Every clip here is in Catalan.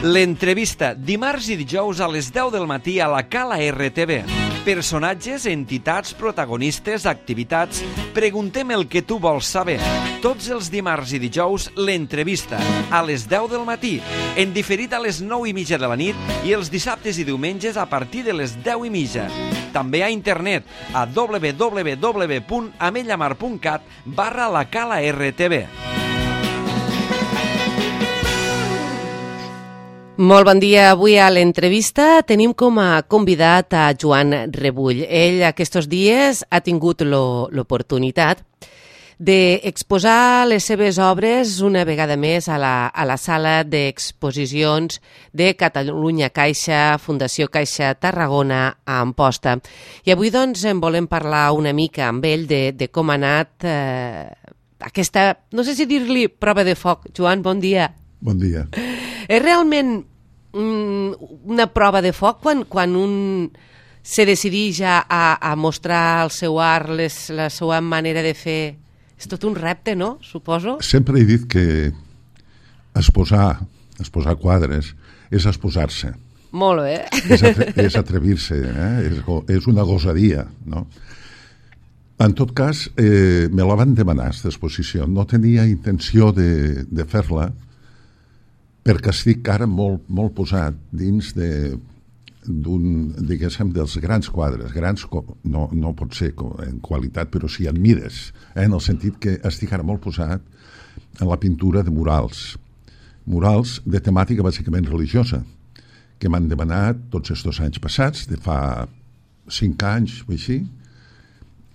L'entrevista, dimarts i dijous a les 10 del matí a la Cala RTV. Personatges, entitats, protagonistes, activitats... Preguntem el que tu vols saber. Tots els dimarts i dijous, l'entrevista, a les 10 del matí, en diferit a les 9:30 de la nit i els dissabtes i diumenges a partir de les 10:30. També a internet a www.amellamar.cat/la Cala RTV. Molt bon dia. Avui a l'entrevista tenim com a convidat a Joan Rebull. Ell aquests dies ha tingut l'oportunitat d'exposar les seves obres una vegada més a la sala d'exposicions de Catalunya Caixa, Fundació Caixa Tarragona, a Amposta. I avui doncs en volem parlar una mica amb ell de com ha anat aquesta, no sé si dir-li prova de foc. Joan, bon dia. Bon dia. És realment una prova de foc quan un se decideix a mostrar el seu art, la seva manera de fer? És tot un repte, no? Suposo. Sempre he dit que exposar quadres és exposar-se. Molt bé. És atrevir-se, és una gosadia, no? En tot cas, me la van demanar, aquesta exposició. No tenia intenció de fer-la, perquè estic ara molt posat dins diguéssim, dels grans quadres. Grans no pot ser en qualitat, però sí en mides, en el sentit que estic ara molt posat en la pintura de murals. Murals de temàtica bàsicament religiosa, que m'han demanat tots aquests anys passats, de fa 5 anys o així,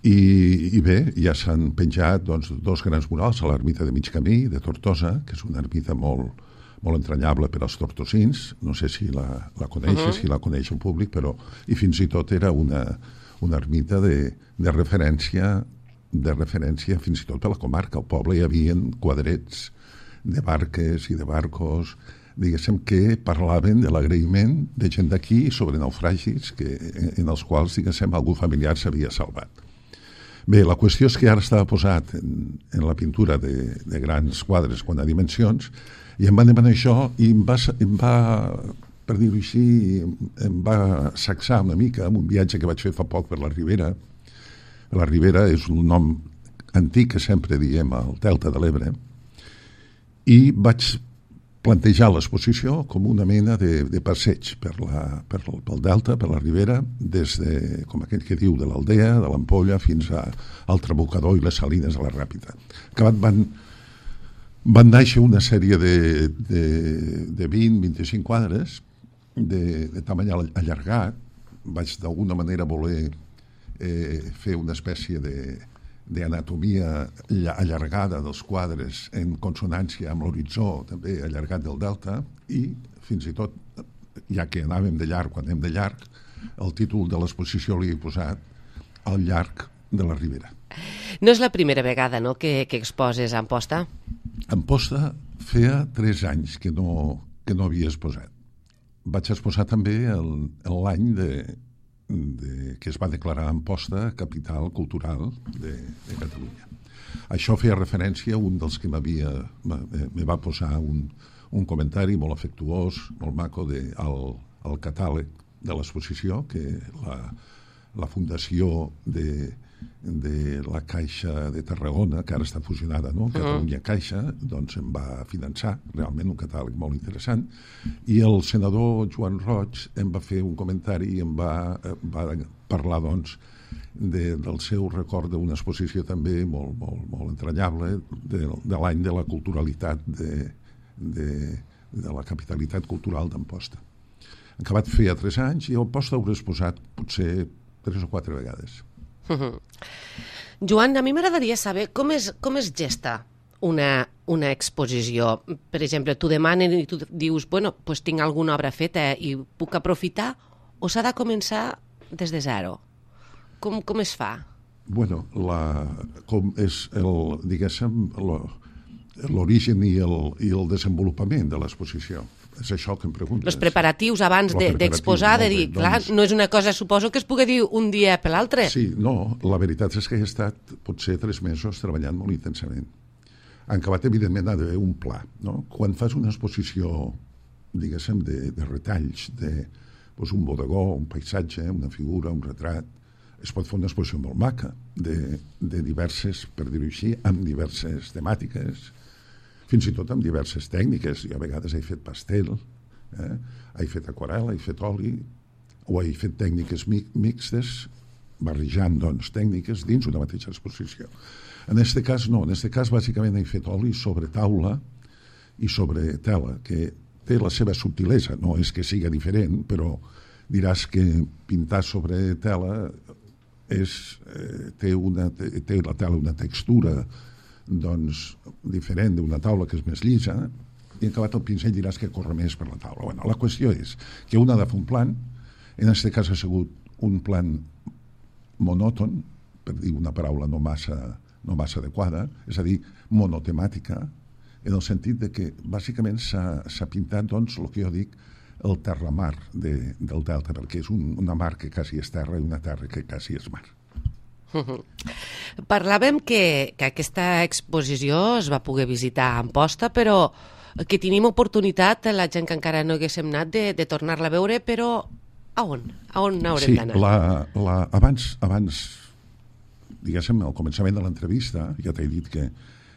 i bé, ja s'han penjat dos grans murals a l'ermita de Mig Camí, de Tortosa, que és una ermita molt entranyable per als tortosins. No sé si la coneixes, si la coneix el públic, però i fins i tot era una ermita de referència fins i tot per la comarca. Al poble hi havia quadrets de barques i de barcos, diguéssim, que parlaven de l'agraïment de gent d'aquí sobre naufragis en els quals, diguéssim, algú familiar s'havia salvat. Bé, la qüestió és que ara estava posat en la pintura de grans quadres quant a dimensions, i em van demanar això i em va, per dir-ho així, em va sacsar una mica amb un viatge que vaig fer fa poc per la Ribera. La Ribera és un nom antic que sempre diem al Delta de l'Ebre, i vaig plantejar l'exposició com una mena de passeig pel Delta, per la Ribera, des de, com aquell que diu, de l'Aldea, de l'Ampolla, fins al Trabucador i les Salines de la Ràpita. Acabat van néixer una sèrie de 20-25 quadres de tamany allargat. Vaig d'alguna manera voler fer una espècie d'anatomia allargada dels quadres en consonància amb l'horitzó també allargat del Delta, i fins i tot, ja que anàvem de llarg, quan anem de llarg, el títol de l'exposició li he posat Al llarg de la Ribera. No és la primera vegada, no?, que exposes a Amposta? Amposta feia 3 anys que no havia exposat. Vaig exposar també l'any que es va declarar Amposta capital cultural de Catalunya. Això feia referència a un dels que me va posar un comentari molt afectuós, molt maco, al catàleg de l'exposició, que la fundació de la Caixa de Tarragona, que ara està fusionada, no? Catalunya Caixa, doncs em va finançar realment un catàleg molt interessant, i el senador Joan Roig em va fer un comentari i em va parlar, doncs, del seu record d'una exposició també molt entranyable de l'any de la culturalitat de la capitalitat cultural d'Amposta. Acabat feia 3 anys i a Amposta hauré exposat potser 3 o 4 vegades. Joan, a mi m'agradaria saber com es gesta una exposició. Per exemple, t'ho demanen i tu dius, bueno, pues tinc alguna obra feta i puc aprofitar, o s'ha de començar des de zero? Com es fa? Bueno, com és diguéssim, l'origen i el desenvolupament de l'exposició. És això que em preguntes. Els preparatius abans d'exposar, de dir, clar, no és una cosa, suposo que es pugui dir un dia per l'altre. Sí, no, la veritat és que he estat potser 3 mesos treballant molt intensament. En acabat, evidentment, ha d'haver un pla, no? Quan fas una exposició diguéssim, de retalls, un bodegó, un paisatge, una figura, un retrat. Es pot fer una exposició molt maca de diverses, per dir-ho així, amb diverses temàtiques, fins i tot amb diverses tècniques. Jo a vegades he fet pastel, he fet aquarel·la, he fet oli, o he fet tècniques mixtes, barrejant, doncs, tècniques dins una mateixa exposició. En aquest cas, no. En aquest cas, bàsicament, he fet oli sobre taula i sobre tela, que té la seva subtilesa. No és que siga diferent, però diràs que pintar sobre tela té la tela una textura doncs, diferent d'una taula que és més llisa, i acabat el pinzell diràs que corre més per la taula. Bueno, la qüestió és que un ha de fer un plan, en aquest cas ha sigut un plan monòton, per dir una paraula no massa adequada, és a dir, monotemàtica, en el sentit de que bàsicament s'ha pintat, doncs, el que jo dic, el terramar del delta, perquè és una mar que quasi és terra i una terra que quasi és mar. Parlàvem que aquesta exposició es va poder visitar a Amposta, però que tenim oportunitat, la gent que encara no haguéssim anat, de tornar-la a veure, però a on? A on haurem d'anar? Sí, abans, diguéssim, al començament de l'entrevista, ja t'he dit que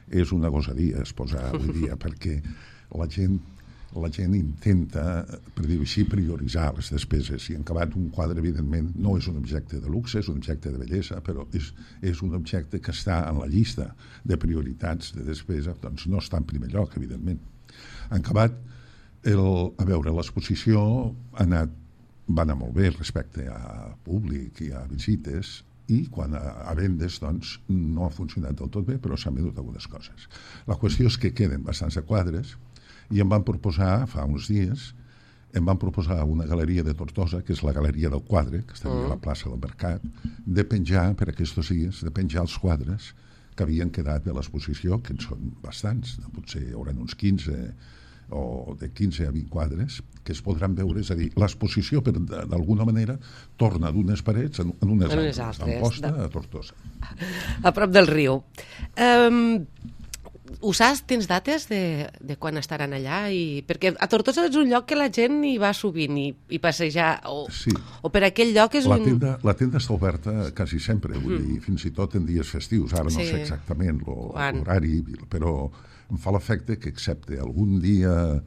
és una gosadia exposar avui dia, perquè la gent intenta, per dir-ho així, prioritzar les despeses, i en acabat un quadre, evidentment, no és un objecte de luxe, és un objecte de bellesa, però és un objecte que està en la llista de prioritats de despesa, doncs no està en primer lloc, evidentment. En acabat, l'exposició va anar molt bé respecte a públic i a visites, i quan a vendes doncs, no ha funcionat del tot bé, però s'han venut algunes coses. La qüestió és que queden bastants de quadres, i em van proposar, fa uns dies, una galeria de Tortosa, que és la Galeria del Quadre, que està a la plaça del Mercat, de penjar, per aquests dies, els quadres que havien quedat de l'exposició, que en són bastants, potser hi haurà uns 15 o de 15 a 20 quadres, que es podran veure, és a dir, l'exposició, d'alguna manera, torna d'unes parets en unes altres, d'Amposta a Tortosa. A prop del riu. Ho saps? Tens dates de quan estaran allà? Perquè a Tortosa és un lloc que la gent hi va sovint i passejar, o per aquell lloc és La tenda està oberta quasi sempre, vull dir, fins i tot en dies festius. Ara no sé exactament l'horari, però em fa l'efecte que excepte algun dia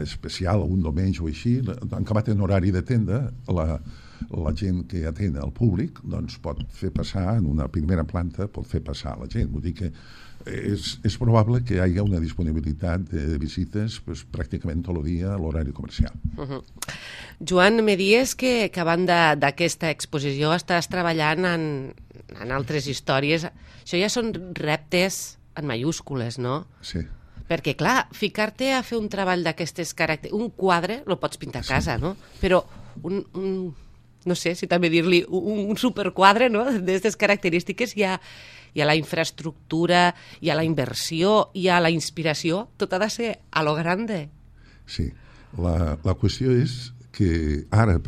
especial, algun diumenge o així, en acabat en horari de tenda, la gent que atén al públic doncs pot fer passar, en una primera planta, pot fer passar la gent. Vull dir que és probable que hi hagi una disponibilitat de visites pràcticament tot el dia a l'horari comercial. Joan, me dies que a banda d'aquesta exposició estàs treballant en altres històries. Això ja són reptes en mayúscules, no? Sí. Perquè, clar, ficar-te a fer un treball d'aquestes característiques... Un quadre el pots pintar a casa, no? Però no sé si també dir-li un superquadre, no?, d'aquestes característiques, hi ha la infraestructura, hi ha la inversió, hi ha la inspiració, tot ha de ser a lo grande. Sí, la qüestió és que ara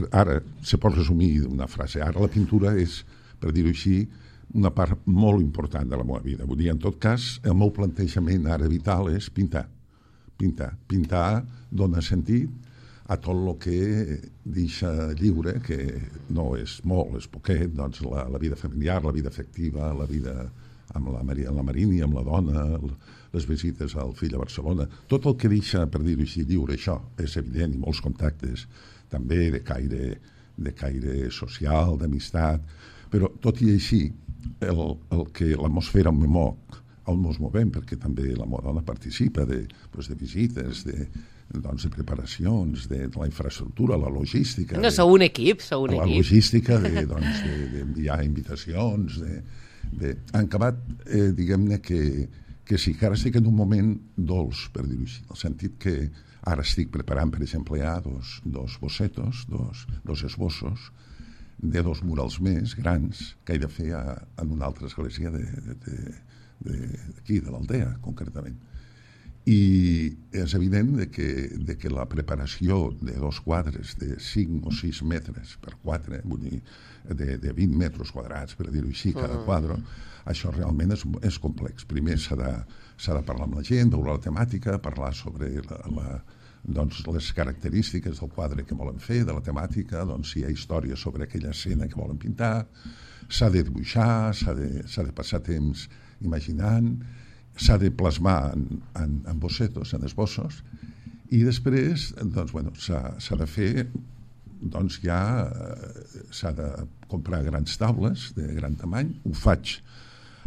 se pot resumir d'una frase, ara la pintura és, per dir-ho així, una part molt important de la meva vida. Vull dir, en tot cas, el meu plantejament ara vital és pintar. Pintar dona sentit a tot el que deixa lliure, que no és molt, és poquet, doncs la vida familiar, la vida afectiva, la vida amb la Marini, amb la dona, les visites al fill a Barcelona, tot el que deixa, per dir-ho així, lliure, això és evident, i molts contactes també de caire social, d'amistat, però tot i així, el que l'atmosfera on mos movem, perquè també la meva dona participa de visites, de preparacions, de la infraestructura, la logística... No, sou un equip, La logística d'enviar invitacions, han acabat, diguem-ne, que sí, que ara estic en un moment dolç, per dir-ho així, en el sentit que ara estic preparant, per exemple, ja dos bossetos, dos esbossos, de dos murals més grans que he de fer en una altra església d'aquí, de l'Aldea, concretament. I és evident que la preparació de dos quadres de 5 o 6 metres per 4, vull dir, de 20 metres quadrats, per dir-ho així, cada quadre, això realment és complex. Primer s'ha de parlar amb la gent, veure la temàtica, parlar sobre doncs, les característiques del quadre que volen fer, de la temàtica, doncs, si hi ha història sobre aquella escena que volen pintar, s'ha de dibuixar, s'ha de passar temps imaginant, s'ha de plasmar en bocetos, en esbossos, i després doncs, bueno, s'ha de fer, doncs ja s'ha de comprar grans taules de gran tamany, ho faig,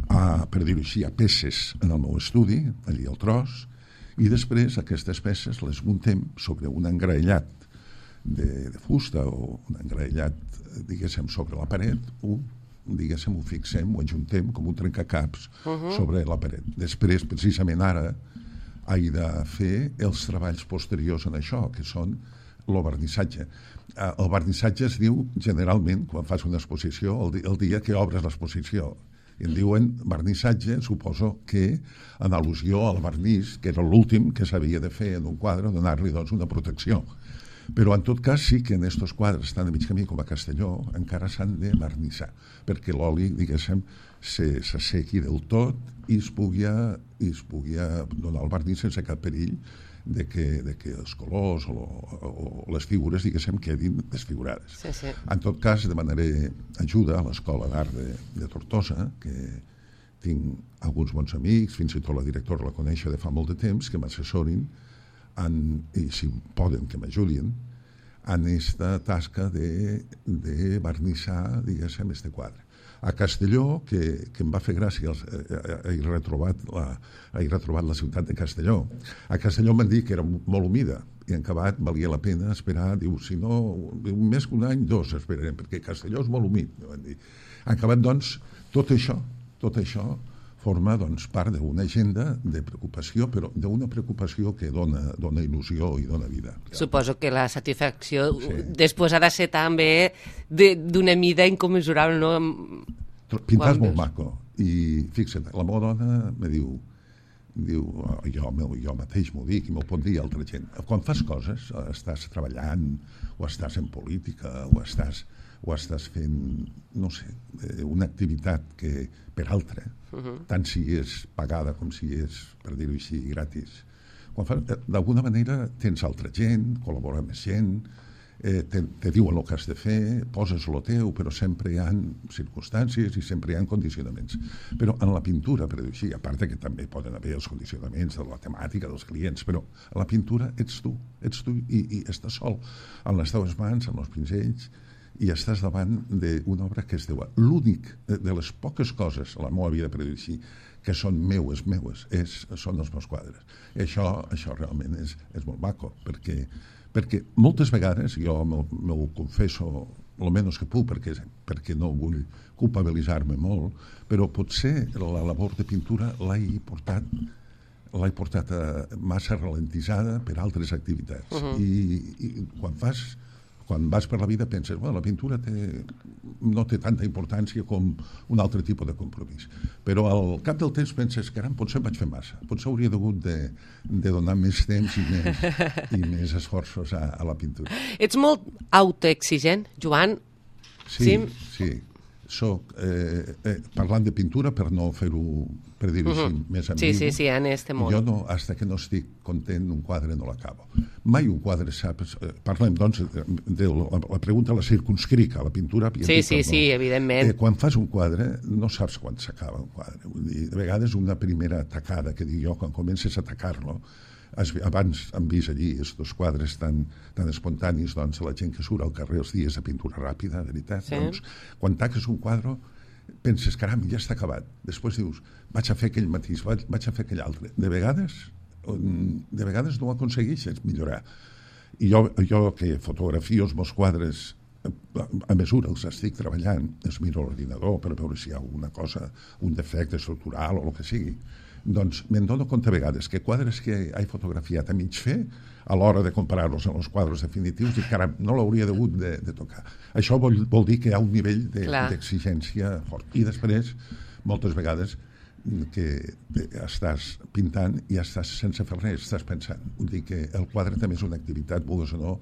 per dir-ho així, a peces en el meu estudi, allí al tros, i després aquestes peces les muntem sobre un engraellat de fusta o un engraellat, diguéssim, sobre la paret, ho fixem, ho ajuntem com un trencacaps sobre la paret. Després, precisament ara, he de fer els treballs posteriors en això, que són el vernissatge. El vernissatge es diu, generalment, quan fas una exposició, el dia que obres l'exposició. I en diuen vernissatge, suposo que en al·lusió al vernís, que era l'últim que s'havia de fer en un quadre, donar-li doncs, una protecció. Però en tot cas sí que en aquests quadres, tant a mig camí com a Castelló, encara s'han de vernissar, perquè l'oli, diguéssim, s'assequi del tot i es pugui donar el vernís sense cap perill de que els colors o les figures, diguéssim, quedin desfigurades. Sí, sí. En tot cas, demanaré ajuda a l'Escola d'Art de Tortosa, que tinc alguns bons amics, fins i tot la directora la coneixo de fa molt de temps, que m'assessorin i si poden que m'ajudin en aquesta tasca de vernissar, diguéssim, este quadre. A Castelló, que em va fer gràcia, he retrobat la ciutat de Castelló. A Castelló m'han dit que era molt humida i en acabat valia la pena esperar, diu, si no, més que un any, 2 esperarem, perquè Castelló és molt humit. En acabat, doncs, tot això forma doncs, part d'una agenda de preocupació, però d'una preocupació que dona il·lusió i dona vida. Suposo que la satisfacció després ha de ser també d'una mida incommensurable, no? Pintar és molt maco. I fixa't, la meva dona me diu, jo mateix m'ho dic i m'ho pot dir altra gent. Quan fas coses, estàs treballant, o estàs en política, o estàs fent, no sé, una activitat que per altra, tant si és pagada com si és, per dir-ho així, gratis. D'alguna manera tens altra gent, col·labora amb gent, te diuen el que has de fer, poses el teu, però sempre hi ha circumstàncies i sempre hi ha condicionaments. Però en la pintura, per dir-ho així, a part que també poden haver els condicionaments de la temàtica dels clients, però a la pintura ets tu i estàs sol, amb les teves mans, amb els pinzells, i estàs davant d'una obra que és teua. L'únic de les poques coses a la meva vida, per dir-ho així, que són meues, són els meus quadres. I això realment és molt maco, perquè moltes vegades, jo m'ho confesso el menys que puc, perquè no vull culpabilitzar-me molt, però potser la labor de pintura l'he portat massa ralentitzada per altres activitats. I quan vas per la vida penses, la pintura no té tanta importància com un altre tipus de compromís. Però al cap del temps penses, caram, potser em vaig fer massa. Potser hauria hagut de donar més temps i més esforços a la pintura. Ets molt autoexigent, Joan? Sí. Soc, parlant de pintura, per no fer-ho, per dir-ho així, més ambigu. Sí, en este món. Jo no, hasta que no estic content, un quadre no l'acabo. Mai un quadre saps... Parlem, doncs, de la pregunta la circunscric a la pintura. Sí, evidentment. Quan fas un quadre, no saps quan s'acaba un quadre. Vull dir, de vegades una primera tacada, que dic jo, quan comences a atacar-lo, abans hem vist allí estos quadres tan espontanis, doncs, la gent que surt al carrer els dies de pintura ràpida, de veritat. Sí. Doncs, quan taques un quadre, penses, caram, ja està acabat. Després dius, vaig a fer aquell matís, vaig a fer aquell altre. De vegades no ho aconsegueixes millorar. I jo que fotografio els meus quadres a mesura els estic treballant, es miro a l'ordinador per veure si hi ha alguna cosa, un defecte estructural o el que sigui, doncs me'n dono compte a vegades que quadres que he fotografiat a mig fer, a l'hora de comparar-los amb els quadres definitius, dic, caram, no l'hauria hagut de tocar. Això vol dir que hi ha un nivell d'exigència fort. I després, moltes vegades, que estàs pintant i estàs sense fer res, estàs pensant. Vull dir que el quadre també és una activitat, vulguis o no,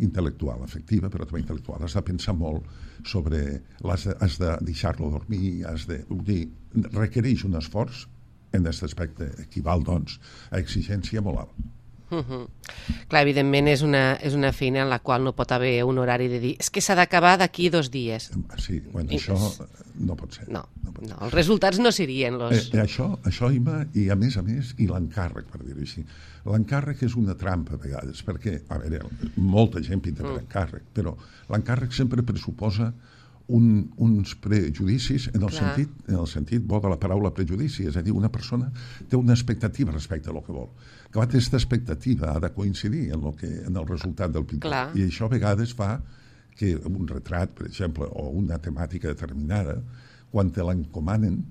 intel·lectual, efectiva, però també intel·lectual. Has de pensar molt sobre... Has de deixar-lo dormir, vull dir, requereix un esforç en aquest aspecte equival, doncs, a exigència molt alt. Clar, evidentment és una feina en la qual no pot haver un horari de dir és que s'ha d'acabar d'aquí 2 dies. Sí, bueno, això no pot ser. No, els resultats no serien los... Això, Ima, i a més, i l'encàrrec, per dir-ho així. L'encàrrec és una trampa a vegades, perquè, a veure, molta gent pinta per encàrrec, però l'encàrrec sempre pressuposa uns prejudicis en el sentit bo de la paraula prejudici, és a dir, una persona té una expectativa respecte a lo que vol. Que aquesta expectativa ha de coincidir en el resultat del pintor. Clar. I això a vegades fa que un retrat, per exemple, o una temàtica determinada, quan te l'encomanen,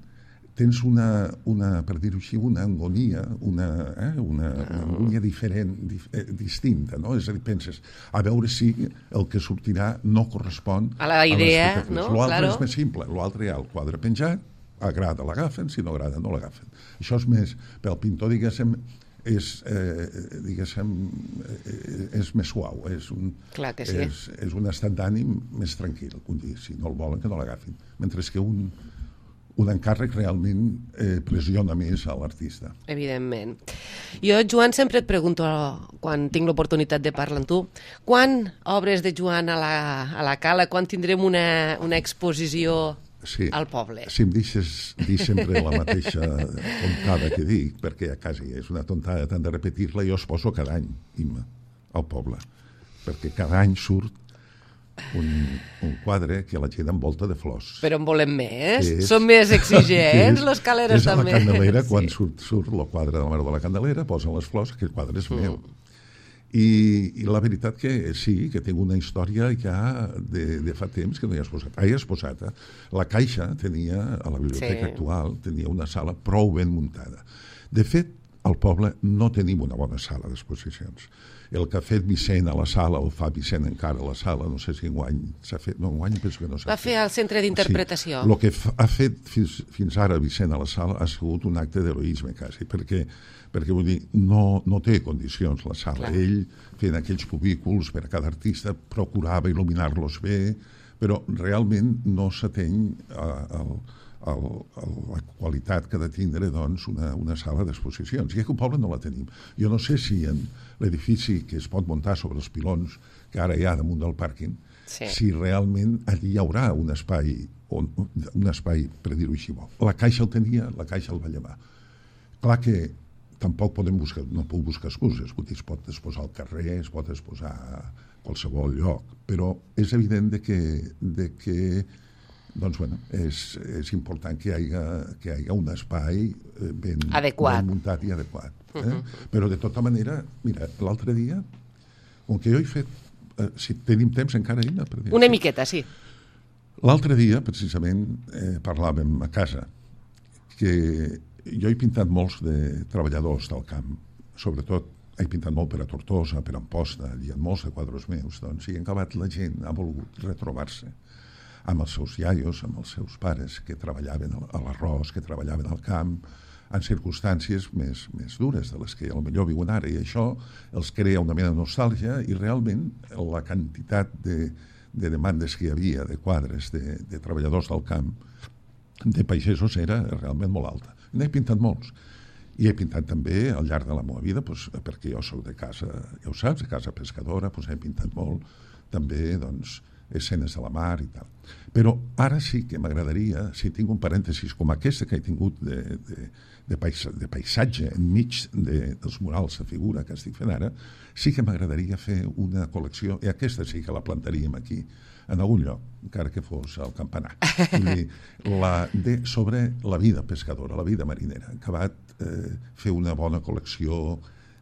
tens per dir-ho així, una agonia, una agonia diferent, distinta, no? És a dir, penses, a veure si el que sortirà no correspon a la idea, no? L'altre és més simple, l'altre hi ha el quadre penjat, agrada, l'agafen, si no agrada, no l'agafen. Això és més, pel pintor, diguéssim, és més suau, és un estat d'ànim més tranquil, si no el volen que no l'agafin, mentre que un encàrrec realment pressiona més a l'artista. Evidentment. Jo, Joan, sempre et pregunto, quan tinc l'oportunitat de parlar amb tu, quan obres de Joan a la Cala, quan tindrem una exposició al poble? Si em deixes dir sempre la mateixa tontada que dic, perquè quasi és una tontada tant de repetir-la, jo es poso cada any, Imma, al poble, perquè cada any surt un quadre que la gent envolta de flors. Però en volem més? Som més exigents, les caleres també. És a la Candelera, quan surt el quadre de la Mare de la Candelera, posen les flors, aquell quadre és meu. I la veritat que sí, que tinc una història ja de fa temps que no hi ha exposat. He exposat. La Caixa tenia, a la biblioteca actual, tenia una sala prou ben muntada. De fet, al poble no tenim una bona sala d'exposicions. El que ha fet Vicent a la sala, o fa Vicent encara a la sala, no sé si enguany s'ha fet, no, enguany penso que no s'ha fet. Va fer el centre d'interpretació. Sí. El que ha fet fins ara Vicent a la sala ha sigut un acte d'heroisme, quasi, perquè vull dir, no té condicions la sala. Clar. Ell, fent aquells cubículs per a cada artista, procurava il·luminar-los bé, però realment no s'ateny la qualitat que ha de tindre doncs, una sala d'exposicions. I aquí al poble no la tenim. Jo no sé si en l'edifici que es pot muntar sobre els pilons que ara hi ha damunt del pàrquing, si realment allí hi haurà un espai per dir-ho així. La Caixa el tenia, la Caixa el va llevar. Clar que tampoc no puc buscar excuses, es pot exposar al carrer, es pot exposar a qualsevol lloc, però és evident que doncs, bueno, és important que hi hagi un espai ben muntat i adequat. Però, de tota manera, mira, l'altre dia, com que jo he fet... si tenim temps encara, Ina, per dir-ho. Una miqueta, sí. L'altre dia, precisament, parlàvem a casa que jo he pintat molts de treballadors del camp, sobretot he pintat molt per a Tortosa, per a Amposta, hi ha molts de quadres meus, doncs, i en acabat la gent ha volgut retrobar-se amb els seus iaios, amb els seus pares que treballaven a l'arròs, que treballaven al camp, en circumstàncies més dures de les que potser viuen ara, i això els crea una mena de nostàlgia, i realment la quantitat de demandes que hi havia de quadres de treballadors del camp, de pagesos, era realment molt alta. N'he pintat molts. I he pintat també al llarg de la meva vida, perquè jo soc de casa, ja ho saps, de casa pescadora, he pintat molt, també, doncs, escenes de la mar i tal. Però ara sí que m'agradaria, si tinc un parèntesis com aquesta que he tingut de paisatge enmig dels murals de figura que estic fent ara, sí que m'agradaria fer una col·lecció, i aquesta sí que la plantaríem aquí, en algun lloc, encara que fos al campanar. Sobre la vida pescadora, la vida marinera. He acabat fer una bona col·lecció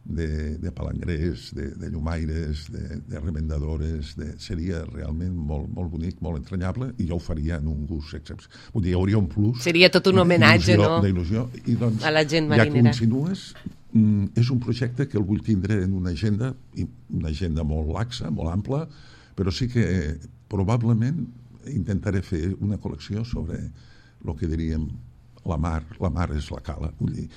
de palangrers, de llumaires, de remendadores, seria realment molt, molt bonic, molt entranyable, i jo ho faria en un gust excepcional. Vull dir, hi hauria un plus... Seria tot un homenatge, no? D'il·lusió. I doncs, a la gent marinera. Ja que insinues, és un projecte que el vull tindre en una agenda molt laxa, molt ampla, però sí que probablement intentaré fer una col·lecció sobre el que diríem la mar és la Cala, vull dir,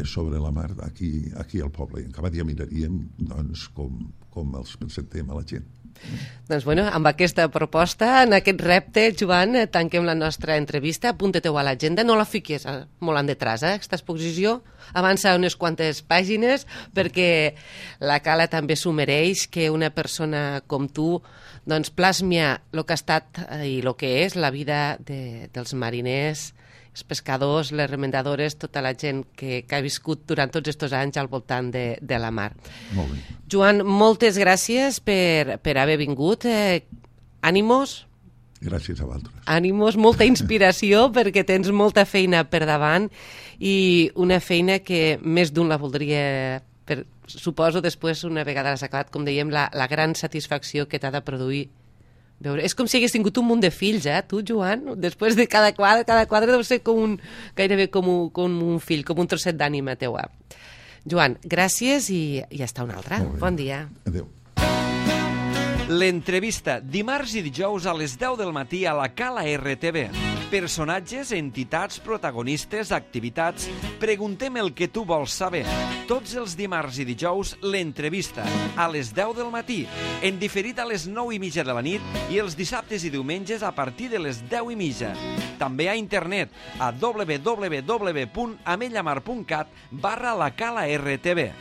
sobre la mar aquí al poble. I en cada dia miraríem doncs, com els presentem a la gent. Doncs bueno, amb aquesta proposta, en aquest repte, Joan, tanquem la nostra entrevista. Apunta-te-ho a l'agenda, no la fiquis molt en detrás, aquesta exposició. Avança unes quantes pàgines perquè la Cala també s'ho mereix, que una persona com tu doncs, plasmia el que ha estat i el que és la vida dels mariners, els pescadors, les remendadores, tota la gent que ha viscut durant tots aquests anys al voltant de la mar. Molt bé. Joan, moltes gràcies per haver vingut. Ànimos. Gràcies a vosaltres. Ànimos, molta inspiració perquè tens molta feina per davant i una feina que més d'un la voldria, suposo, després, una vegada l'has acabat, com dèiem, la gran satisfacció que t'ha de produir veure. És com si hagués tingut un munt de fills, tu, Joan? Després de cada quadre deu ser gairebé com un fill, com un trosset d'ànima teua. Joan, gràcies i hasta una altra. Bon dia. Adéu. L'entrevista, dimarts i dijous a les 10 del matí a la Cala RTV. Personatges, entitats, protagonistes, activitats... Preguntem el que tu vols saber. Tots els dimarts i dijous, l'entrevista, a les 10 del matí, en diferit a les 9:30 de la nit i els dissabtes i diumenges a partir de les 10:30. També a internet, a www.amellamar.cat/la Cala RTV.